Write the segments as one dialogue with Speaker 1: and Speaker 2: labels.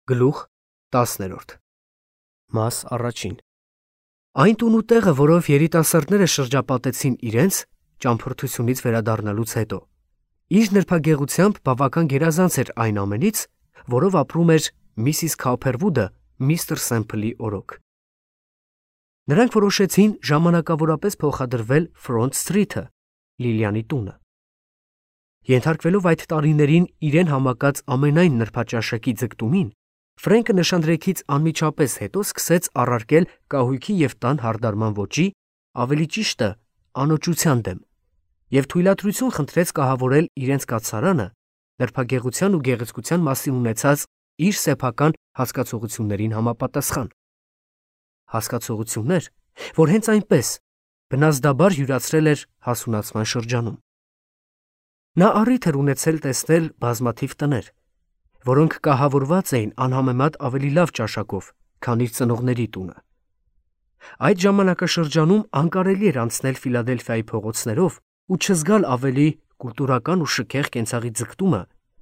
Speaker 1: Գլուխ 10 Մաս առաջին Այն տուն ու տեղը, որով երիտասարդները շրջապատեցին իրենց ճամփորդությունից վերադառնալուց հետո, իր նրբագեղությամբ բավական գերազանց էր այն ամենից, որով ապրում էր Միսիս Քոփերվուդը միստր Սեմփլի օրոք։ Նրանք որոշեցին ժամանակավորապես փոխադրվել Ֆրոնտ Սթրիթը, Լիլիանի տունը։ Ենթարկվելով այդ տարիներին իրեն համակած ամենայն նրբաճաշակի ձգտումին, Ֆրենկը նշանдрեքից անմիջապես հետո սկսեց առարկել կահույքի և տան հարդարման ոճի, ավելի ճիշտը անոճության դեմ, և թույլատրություն խնդրեց կահավորել իրենց կաթսարանը նրբագեղության ու գեղեցկության մասին ունեցած իր սեփական հասկացողություններին համապատասխան։ Հասկացողություններ, որ հենց այնպես բնազդաբար յուրացրել էր հասունացման շրջանում։ Նա առիթ էր ունեցել տեսնել բազմաթիվ տներ, որոնք կահավորված էին անհամեմատ ավելի լավ ճաշակով, քան իր ծնողների տունը։ Այդ ժամանակաշրջանում անկարելի էր անցնել Ֆիլադելֆիայի փողոցներով ու չզգալ ավելի կուլտուրական ու շքեղ կենցաղի ձգտումը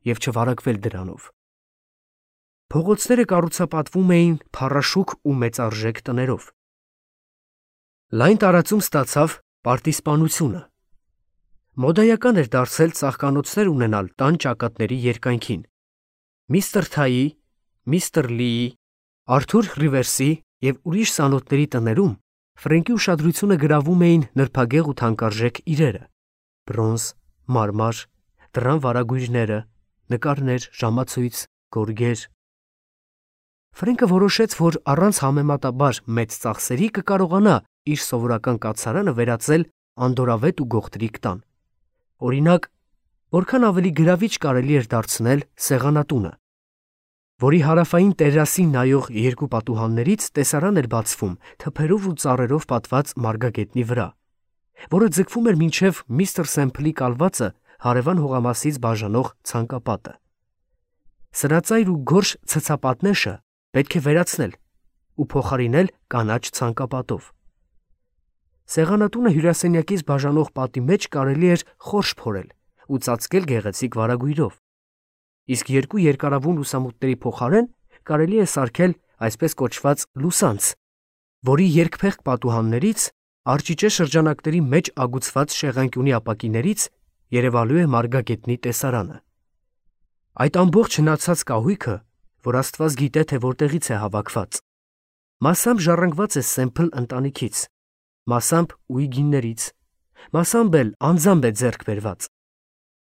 Speaker 1: և չվարակվել դրանով։ Փողոցները կառուցապատվում էին փառաշուք ու մեծարժեք տներով։ Լայն տարածում ստացավ պարտիզպանությունը։ Մոդայական էր դարձել ծաղկանոցներ ունենալ տան ճակատների երկայնքին։ Միստր Թայի, միստր Լիի, Արթուր Ռիվերսի և ուրիշ սանոթների տներում Ֆրենկի ուշադրությունը գրավում էին նրբագեղ ու թանկարժեք իրերը՝ բրոնզ, մարմար, դռան վարագույրները, նկարներ, ժամացույց, գորգեր։ Ֆրենկը որոշեց, որ առանց համեմատաբար մեծ ծախսերի կկարողանա իր սովորական կաթսարանը վերածել անդորրավետ ու գողտրիկ տան։ Օրինակ, որքան ավելի գրավիչ կարելի էր դարձնել սեղանատունը, որի հարավային տերասին նայող երկու պատուհաններից տեսարան էր բացվում թփերով ու ծառերով պատված մարգագետնի վրա, որը ձգվում էր մինչև միստր Սեմփլի կալվածը հարևան հողամասից բաժանող ցանկապատը։ Սրածայր ու գորշ ցցապատնեշը պետք է վերացնել ու փոխարինել կանաչ ցանկապատով։ Սեղանատունը հյուրասենյակից բաժանող պատի մեջ կարելի էր խորշ փորել ու ծածկել գեղեցիկ վարագույրով, իսկ երկու երկարավուն լուսամուտների փոխարեն կարելի է սարքել այսպես կոչված լուսանց, որի երկփեղկ պատուհաններից արճիճե շրջանակների մեջ ագուցված շեղանկյունի ապակիներից երևալու է մարգագետնի տեսարանը։ Այդ ամբողջ հնացած կահույքը, որ Աստված գիտե, թե որտեղից է հավաքված, մասամբ ժառանգված է Սեմփլ ընտանիքից, մասամբ Ուիգիններից, մասամբ էլ անձամբ է ձեռք բերված։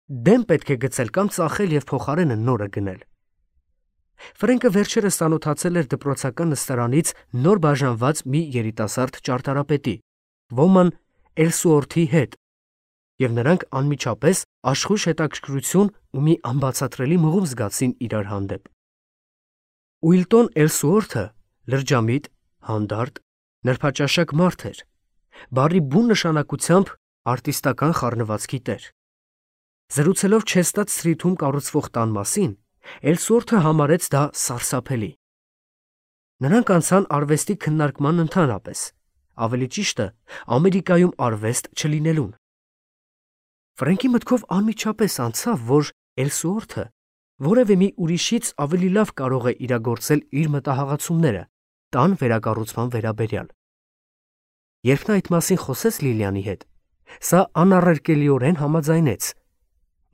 Speaker 1: Դեմ պետք է գցել կամ ծախել և փոխարենը նորը գնել։ Ֆրենկը վերջերս ծանոթացել էր դպրոցական նստարանից նոր բաժանված մի երիտասարդ ճարտարապետի, ոմն Էլսուորթի հետ, և նրանք անմիջապես աշխույժ հետաքրքրություն ու մի անբացատրելի մղում զգացին իրար հանդեպ։ Ուիլտոն Էլսուորթը լրջամիտ, հանդարտ, նրբաճաշակ մարդ էր, բառի բուն նշանակությամբ արտիստական խառնվածքի տեր։ Զրուցելով Չեստադ Սթրիթում կառուցվող տան մասին, Էլսուորթը համարեց դա սարսափելի։ Նրանք անցան արվեստի քննարկման ընդհանրապես, ավելի ճիշտը Ամերիկայում արվեստ չլինելուն։ Ֆրենկի մտքով անմիջապես անցավ, որ Էլսուորթը որևէ մի ուրիշից ավելի լավ կարող է իրագործել իր մտահղացումները տան վերակառուցման վերաբերյալ։ Երբ նա այդ մասին խոսեց Լիլիանի հետ, սա անառարկելիորեն համաձայնեց,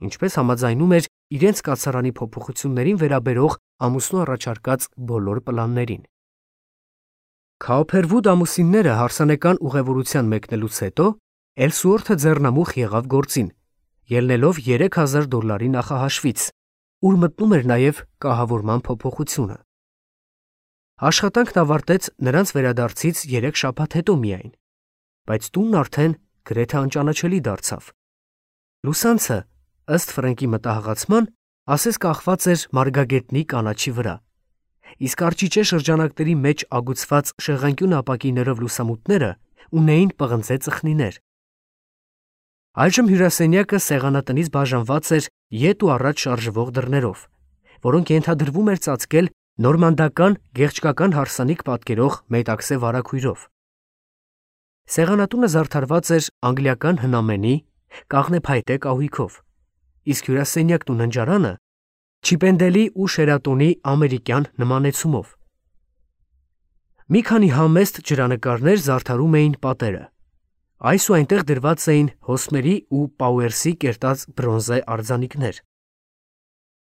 Speaker 1: ինչպես համաձայնում էր իրենց կաթսարանի փոփոխություններին վերաբերող ամուսնու առաջարկած բոլոր պլաններին։ Քոփերվուդ ամուսինները հարսանեկան ուղևորության մեկնելուց հետո Էլսուորթը ձեռնամուխ եղավ գործին, ելնելով $3000 նախահաշվից, ուր մտնում էր նաև կահավորման փոփոխությունը։ Աշխատանքն ավարտեց նրանց վերադարձից 3 շաբաթ հետո միայն, բայց տունն արդեն գրեթե անճանաչելի դարձավ։ Լուսանցը, ըստ Ֆրենկի մտահղացման, ասես կախված էր մարգագետնի կանաչի վրա, իսկ արճիճե շրջանակների մեջ ագուցված շեղանկյուն ապակիներով լուսամուտները ունեին պղնձե ծխնիներ։ Այժմ հյուրասենյակը սեղանատնից բաժանված էր ետ ու առաջ շարժվող դռներով, որոնք ենթադրվում էր ծածկել նորմանդական գեղչկական հարսանիք պատկերող մետաքսե վարագույրով։ Սեղանատունը զարդարված էր անգլիական հնամենի, կաղնեփայտե կահույքով, իսկ հյուրասենյակն ու ննջարանը Չիպենդելի ու Շերատոնի ամերիկյան նմանեցումով։ Մի քանի համեստ ջրանկարներ զարդարում էին պատերը։ Այս ու այնտեղ դրված էին Հոսմերի ու Պաուերսի կերտած բրոնզե արձանիկներ։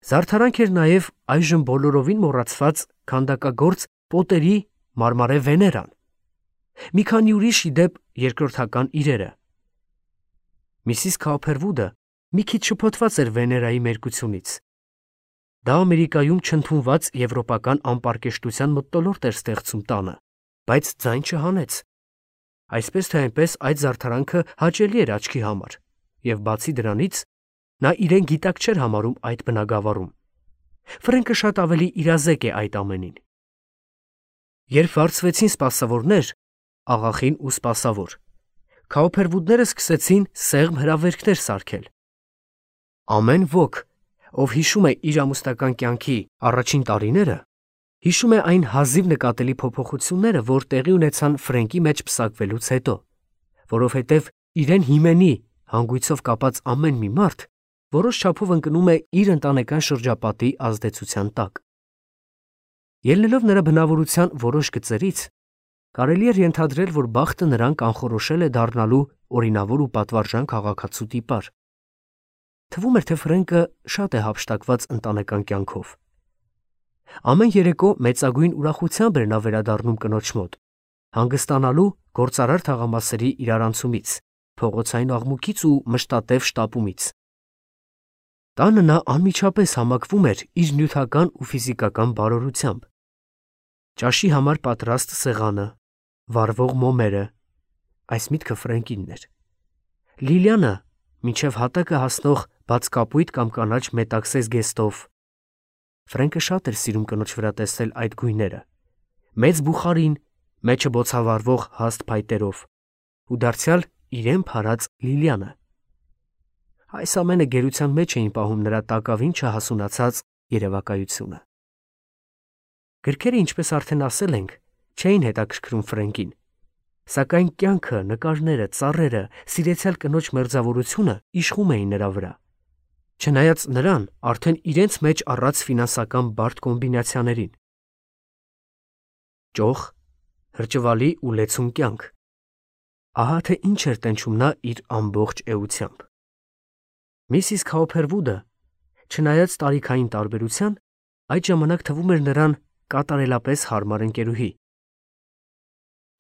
Speaker 1: Զարդարանք էր նաև այժմ բոլորովին մոռացված քանդակագործ Պոտերի մարմարե Վեներան, մի քանի ուրիշ ի դեպ երկրորդական իրերը։ Միսիս Քաուփերվուդը մի քիչ շփոթված էր Վեներայի մերկությունից։ Դա Ամերիկայում չընդունված եվրոպական անպարկեշտության մթնոլորտ էր ստեղծում տանը, բայց ձայն չհանեց։ Այսպես թե այնպես այդ զարդարանքը հաճելի էր աչքի համար, եւ բացի դրանից նա իրեն գիտակ չէր համարում այդ բնագավառում։ Ֆրենկը շատ ավելի իրազեկ է այդ ամենին։ Երբ վարձվեցին սպասավորներ, աղախին ու սպասավոր, Քաուփերվուդները սկսեցին սեղմ հրավերքներ սարքել։ Ամեն ոք, ով հիշում է իր ամուսնական կյանքի առաջին տարիները, հիշում է այն հազիվ նկատելի փոփոխությունները, որ տեղի ունեցան Ֆրենկի մեջ պսակվելուց հետո, որովհետև իրեն հիմենի հանգույցով կապած ամեն մի մարդ որոշ չափով ընկնում է իր ընտանեկան շրջապատի ազդեցության տակ։ Ելնելով նրա բնավորության որոշ գծերից, կարելի էր ենթադրել, որ բախտը նրան կանխորոշել է դառնալու օրինավոր ու պատվարժան քաղաքացու տիպար։ Թվում էր, թե Ֆրենկը շատ է հափշտակված ընտանեկան կյանքով։ Ամեն երեկո մեծագույն ուրախությամբ էր նա վերադառնում կնոջ մոտ, հանգստանալու գործարար թաղամասերի իրարանցումից, փողոցային աղմուկից ու մշտատև շտապումից։ Տանը նա անմիջապես համակվում էր իր նյութական ու ֆիզիկական բարօրությամբ։ Ճաշի համար պատրաստ սեղանը, վառվող մոմերը, այս միտքը Ֆրենկինն էր։ Լիլիանը մինչև հատակը հասնող բաց կապույտ կամ կանաչ մետաքսե զգեստով։ Ֆրենկը շատ էր սիրում կնոջ վրա տեսնել այդ գույները, մեծ բուխարին, մեջը բոցավառվող հաստ փայտերով, ու դարձյալ իրեն փարած Լիլիանը։ Այս ամենը գերության մեջ էին պահում նրա տակավին չհասունացած երևակայությունը։ Գրքերը, ինչպես արդեն ասել ենք, չէին հետաքրքրում Ֆրենկին, սակայն կյանքը, նկարները, ծառերը, սիրեցյալ կնոջ մերձավորությունը իշխում էին նրա վրա։ Չնայած նրան արդեն իրենց մեջ առած ֆինանսական բարդ կոմբինացիաներին։ Ճոխ, հրճվալի ու լեցուն կյանք։ Ահա թե ինչ էր տենչում նա իր ամբողջ էությամբ։ Միսիս Քաուփերվուդը, չնայած տարիքային տարբերության, այդ ժամանակ թվում էր նրան կատարելապես հարմար ընկերուհի։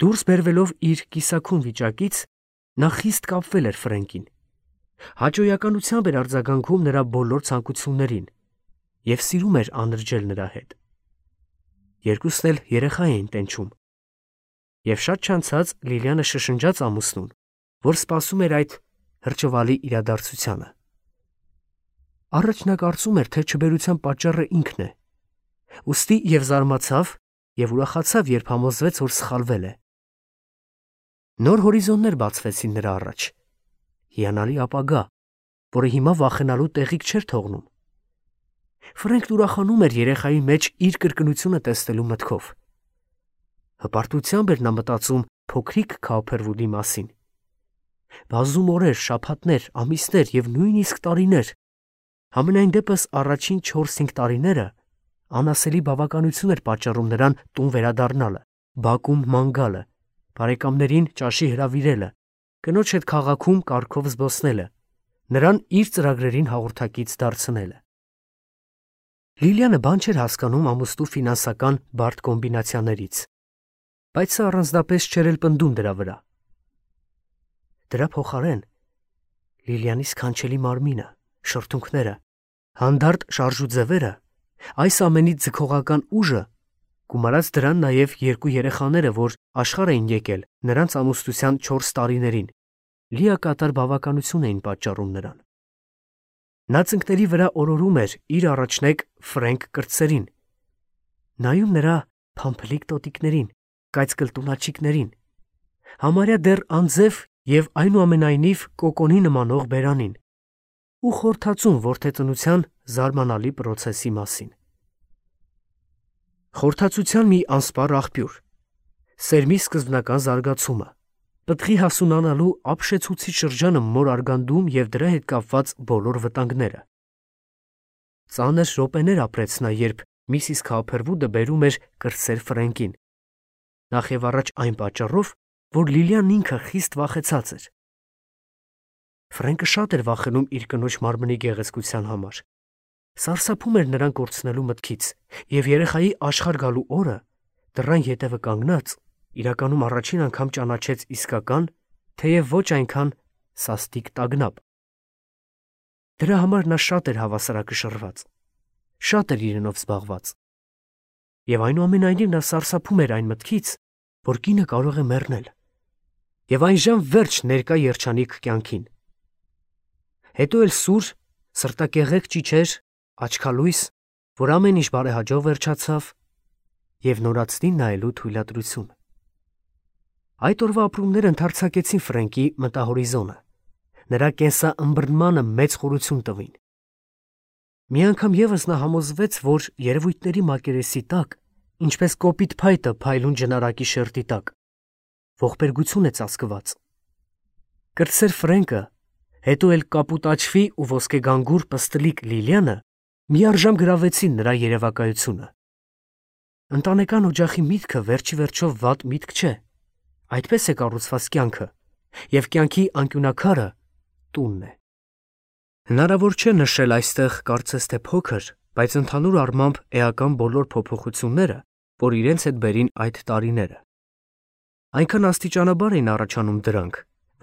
Speaker 1: Դուրս բերվելով իր կիսաքուն վիճակից, նա խիստ կապվել էր Ֆրենկին։ Հաճոյականությամբ էր արձագանքում նրա բոլոր ցանկություններին և սիրում էր անրջել նրա հետ։ Երկուսն էլ երեխա էին տենչում։ Եվ շատ չանցած Լիլիանը շշնջաց ամուսնուն, որ սպասում էր այդ հրճվալի իրադարձությանը։ Առաջ նա կարծում էր, թե չբերության պատճառը ինքն է, ուստի և զարմացավ և ուրախացավ, երբ համոզվեց, որ սխալվել է։ Նոր հորիզոններ բացվեցին նրա առաջ, հիանալի ապագա, որը հիմա վախենալու տեղիք չէր թողնում։ Ֆրենկն ուրախանում էր երեխայի մեջ իր կրկնությունը տեսնելու մտքով։ Հպարտությամբ էր նա մտածում փոքրիկ Քաուփերվուդի մասին։ Բազում օրեր, շաբաթներ, ամիսներ և նույնիսկ տարիներ, համենայն դեպս առաջին 4-5 տարիները անասելի բավականություն էր պատճառում նրան տուն վերադառնալը, բակում ման գալը, բարեկամներին ճաշի հրավիրելը, կնոջ հետ քաղաքում կարգով զբոսնելը, նրան իր ծրագրերին հաղորդակից դարձնելը։ Լիլիանը բան չէր հասկանում ամուսնու ֆինանսական բարդ կոմբինացիաներից, բայց սա առանձնապես չէր էլ պնդում դրա վրա։ Դրա փոխարեն Լիլիանի սքանչելի մարմինը, շրթունքները, հանդարտ շարժուձևերը, այս ամենից ձգողական ուժը, գումարած դրան նաև 2 երեխաները, որ աշխարհ էին եկել նրանց ամուսնության 4 տարիներին, լիակատար բավականություն էին պատճառում նրան։ Նա ծնկների վրա օրորում էր իր առաջնեկ Ֆրենկ կրտսերին, նայում նրա փամփլիկ տոտիկներին, կայծկլտունաչիկներին, համարյա դեռ անձև և այնուամենայնիվ կոկոնի նմանող բերանին, ու խորհրդածում որդեծնության զարմանալի պրոցեսի մասին։ Խորհրդածության մի անսպառ աղբյուր, սերմի սկզբնական զարգացումը, պտղի հասունանալու ապշեցուցիչ շրջանը մոր արգանդում և դրա հետ կապված բոլոր վտանգները։ Ծանր րոպեներ ապրեց նա, երբ Միսիս Քոփերվուդը բերում էր կրտսեր Ֆրենկին։ Նախ եւ առաջ այն պատճառով, որ Լիլիան ինքը խիստ վախեցած էր։ Ֆրենկը շատ էր վախենում իր կնոջ մարմնի գեղեցկության համար։ Սարսափում էր նրան կորցնելու մտքից, եւ երեխայի աշխարհ գալու օրը դռան ետևը կանգնած իրականում առաջին անգամ ճանաչեց իսկական, թեև ոչ այնքան սաստիկ տագնապ։ Դրա համար նա շատ էր հավասարակշռված, շատ էր իրենով զբաղված։ Եվ այնուամենայնիվ նա սարսափում էր այն մտքից, որ կինը կարող է մեռնել։ Եվ այն ժամ վերջ ներկա երջանիկ կյանքին։ Հետո էլ սուր, սրտակեղեկ ճիչեր, աչքալույս, որ ամեն ինչ բարեհաջող վերջացավ, եւ նորացնին նայելու թույլատրություն։ Այդ օրվա ապրումները ընդարձակեցին Ֆրենկի մտահորիզոնը, նրա կենսաըմբռնմանը մեծ խորություն տվին։ Մի անգամ եւս նա համոզվեց, որ երևույթների մակերեսի տակ, ինչպես կոպիտ փայտը փայլուն ջնարակի շերտի տակ, ողբերգություն է ծածկված։ Կրտսեր Ֆրենկը, հետո էլ կապուտաչվի ու ոսկեգանգուր պստլիկ Լիլիանը միառժամ գրավեցին նրա երևակայությունը։ Ընտանեկան օջախի միտքը վերջի վերջով վատ միտք չէ։ Այդպես է կառուցված կյանքը, եւ կյանքի անկյունակարը տունն է։ Հնարավոր չէ նշել այստեղ կարծես թե փոքր, բայց ընդհանուր առմամբ էական բոլոր փոփոխությունները, որ իրենց հետ բերին այդ տարիները։ Այնքան աստիճանաբար էին առաջանում դրանք,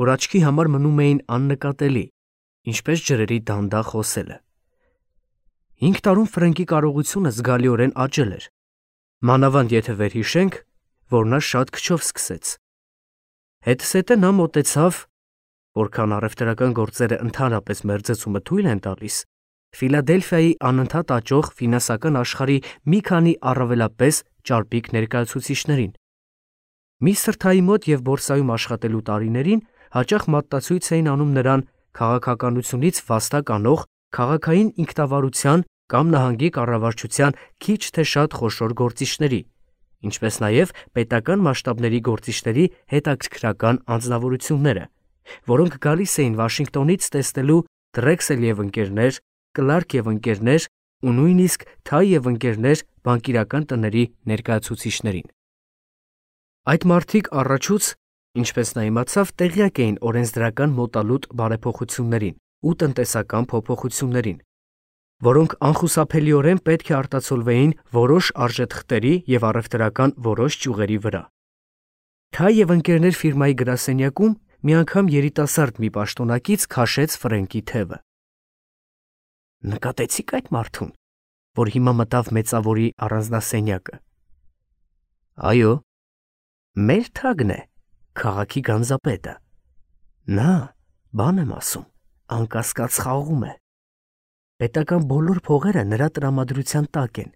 Speaker 1: որ աչքի համար մնում էին աննկատելի, ինչպես ջրերի դանդաղ հոսելը։ 5 տարում Ֆրենկի կարողությունը զգալիորեն աճել էր։ Մանավանդ եթե վերհիշենք, որ նա շատ քչով սկսեց։ Հետսետը նա մոտեցավ, որքան առևտրական գործերը ընդհանրապես մերձեցումը թույլ են տալիս, Ֆիլադելֆիայի անընդհատ աճող ֆինանսական աշխարհի մի քանի առավելապես ճարպիկ ներկայացուցիչներին։ Միսթր Թայի մոտ եւ բորսայում աշխատելու տարիներին հաճախ մատտացույց էին անում նրան քաղաքականությունից վաստակ անող քաղաքային ինքնավարության կամ նահանգի կառավարչության քիչ թե շատ խոշոր գործիչների, ինչպես նաև պետական մասշտաբների գործիչների հետաքրքրական անձնավորությունները, որոնք գալիս էին Վաշինգտոնից տեսնելու Դրեքսել եւ ընկերներ, Կլարկ եւ ընկերներ ու նույնիսկ Թայ եւ ընկերներ բանկիրական տների ներկայացուցիչներին։ Այդ մարդիկ առաջուց, ինչպես նա իմացավ, տեղյակ էին օրենսդրական մոտալուտ բարեփոխություններին ու տնտեսական փոփոխություններին, որոնք անխուսափելիորեն պետք է արտացոլվեին որոշ արժեթղթերի եւ առևտրական որոշ ճյուղերի վրա։ Թայ եւ ընկերներ ֆիրմայի գրասենյակում մի անգամ երիտասարդ մի պաշտոնակից քաշեց Ֆրենկի թևը։ Նկատեցիք այդ մարդուն, որ հիմա մտավ մեծավորի առանձնասենյակը։ Այո, մեր Թագն է, քաղաքի գանձապետը։ Նա, բան եմ ասում, անկասկած խաղում է։ Պետական բոլոր փողերը նրա տրամադրության տակ են,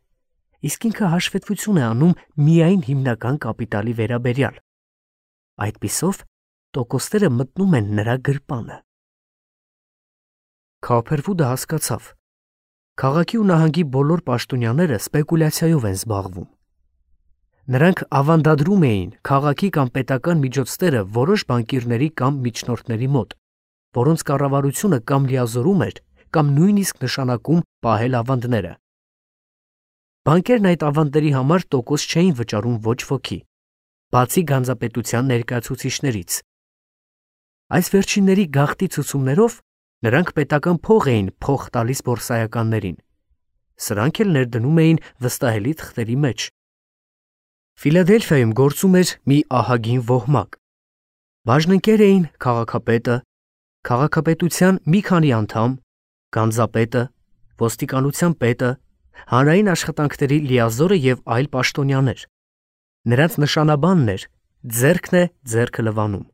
Speaker 1: իսկ ինքը հաշվետվություն է անում միայն հիմնական կապիտալի վերաբերյալ։ Այդպիսով տոկոսները մտնում են նրա գրպանը։ Քոփերվուդը հասկացավ. քաղաքի ու նահանգի բոլոր պաշտոնյաները սպեկուլյացիայով են զբաղվում։ Նրանք ավանդադրում էին քաղաքի կամ պետական միջոցները որոշ բանկիրների կամ միջնորդների մոտ, որոնց կառավարությունը կամ լիազորում էր, կամ նույնիսկ նշանակում պահել ավանդները։ Բանկերն այդ ավանդների համար տոկոս չէին վճարում ոչ ոքի, բացի գանձապետության ներկայացուցիչներից։ Այս վերջինների գաղտնի ցուցումներով նրանք պետական փող էին փոխ տալիս բորսայականներին։ Սրանք էլ ներդնում էին վստահելի թղթերի մեջ։ Ֆիլադելֆիայում գործում էր մի ահագին ոհմակ։ Բաժնընկեր էին քաղաքապետը, քաղաքապետության մի քանի անդամ, գանձապետը, ոստիկանության պետը, հանրային աշխատանքների լիազորը եւ այլ պաշտոնյաներ։ Նրանց նշանաբանն էր ձեռքն է ձեռքը լվանում։